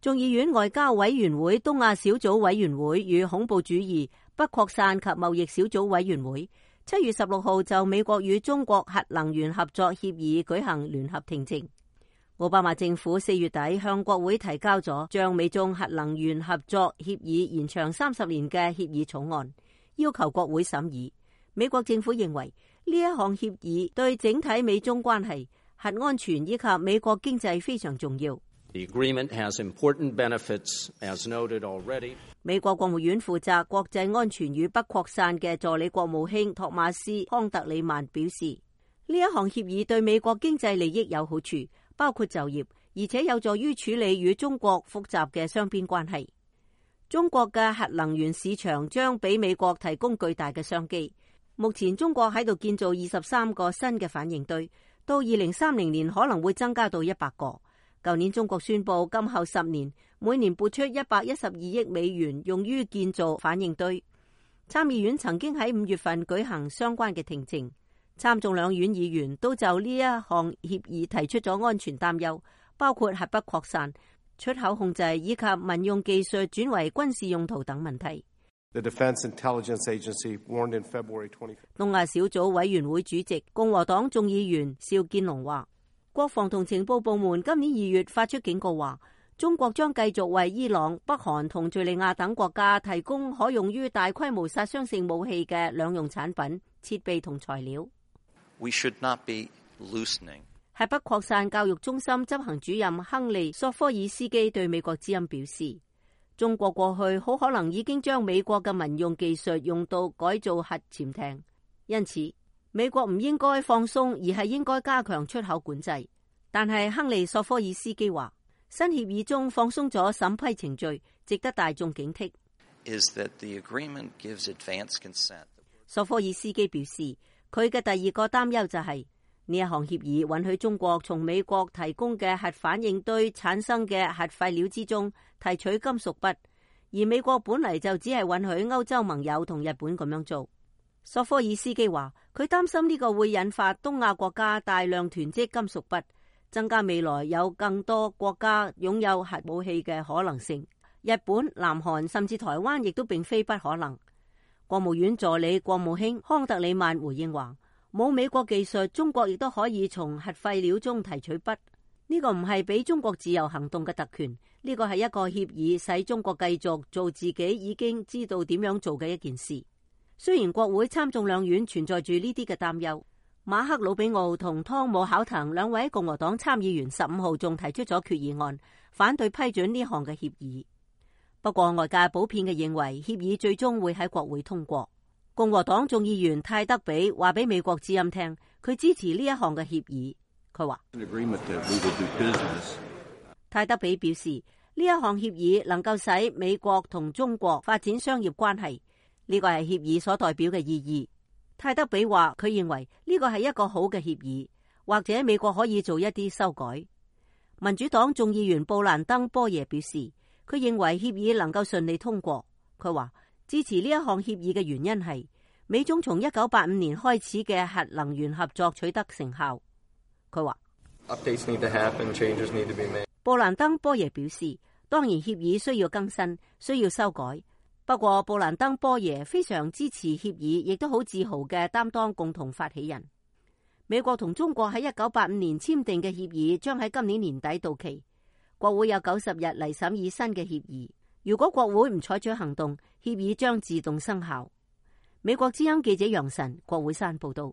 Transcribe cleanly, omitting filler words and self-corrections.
眾議院外交委員會東亞小組委員會與恐怖主義不擴散及貿易小組委員會7月16號就美國與中國核能源合作協議舉行聯合聽證。奧巴馬政府4月底向國會提交咗將美中核能源合作協議延長30年嘅協議草案，要求國會審議。美國政府認為呢一項協議對整體美中關係、核安全以及美國經濟非常重要。The agreement has important benefits, as noted already. 美國國務院負責國際安全與不擴散嘅助理國務卿托馬斯康特里曼表示，呢一項協議對美國經濟利益有好處，包括就業，而且有助於處理與中國複雜嘅雙邊關係。中國嘅核能源市場將俾美國提供巨大嘅商機。目前中國喺度建造23個新嘅反應堆，到2030年可能會增加到100個。舊年中國宣布今後10年每年撥出112億美元用於建造反應堆。參議院曾經喺5月份舉行相關嘅聽證，參眾兩院議員都就呢一項協議提出咗安全擔憂，包括核不擴散、出口控制以及民用技術轉為軍事用途等問題。The Defense Intelligence Agency warned in February 25th. 東亞小組委員會主席共和黨眾議員邵建龍話，國防同情報部門今年2月發出警告話，中國將繼續為伊朗、北韓同敘利亞等國家提供可用於大規模殺傷性武器嘅兩用產品、設備同材料。We should not be loosening. 核不擴散教育中心執行主任亨利·索科爾斯基對美國之音表示，中國過去好可能已經將美國嘅民用技術用到改造核潛艇，因此美國唔應該放鬆，而係應該加強出口管制。但係亨利·索科爾斯基話，新協議中放鬆咗審批程序，值得大眾警惕。Is that the agreement gives advance consent? 索科爾斯基表示，佢嘅第二個擔憂就係呢一項協議允許中國從美國提供嘅核反應堆產生嘅核廢料之中提取金屬鈈，而美國本嚟就只係允許歐洲盟友同日本咁樣做。索科爾斯基話，佢擔心呢個會引發東亞國家大量囤積金屬鈈，增加未來有更多國家擁有核武器嘅可能性。日本、南韓甚至台灣亦都並非不可能。國務院助理國務卿康特里曼回應話，冇美國技術，中國亦都可以從核廢料中提取鈈。呢個唔係俾中國自由行動嘅特權，呢個係一個協議，使中國繼續做自己已經知道點樣做嘅一件事。雖然國會參眾兩院存在住呢啲嘅擔憂，馬克魯比奧同湯姆考騰兩位共和黨參議員15號仲提出咗決議案，反對批准呢項嘅協議。不過外界普遍嘅認為協議最終會喺國會通過。共和黨眾議員泰德比話俾美國之音聽，佢支持呢一項嘅協議。佢話泰德比表示，呢一項協議能夠使美國同中國發展商業關係，呢個係協議所代表嘅意義。泰德比話佢認為呢個係一個好嘅協議，或者美國可以做一啲修改。民主黨眾議員布蘭登波耶表示，佢認為協議能夠順利通過。佢話支持呢一項協議嘅原因係美中從1985年開始嘅核能源合作取得成效。佢話布蘭登波耶表示，當然協議需要更新，需要修改。不過布蘭登波耶非常支持協議，亦都好自豪嘅擔當共同發起人。美國同中國喺1985年簽訂嘅協議將喺今年年底到期，國會有90日嚟審議新嘅協議。如果國會唔採取行動，協議將自動生效。美國之音記者楊晨，國會山報道。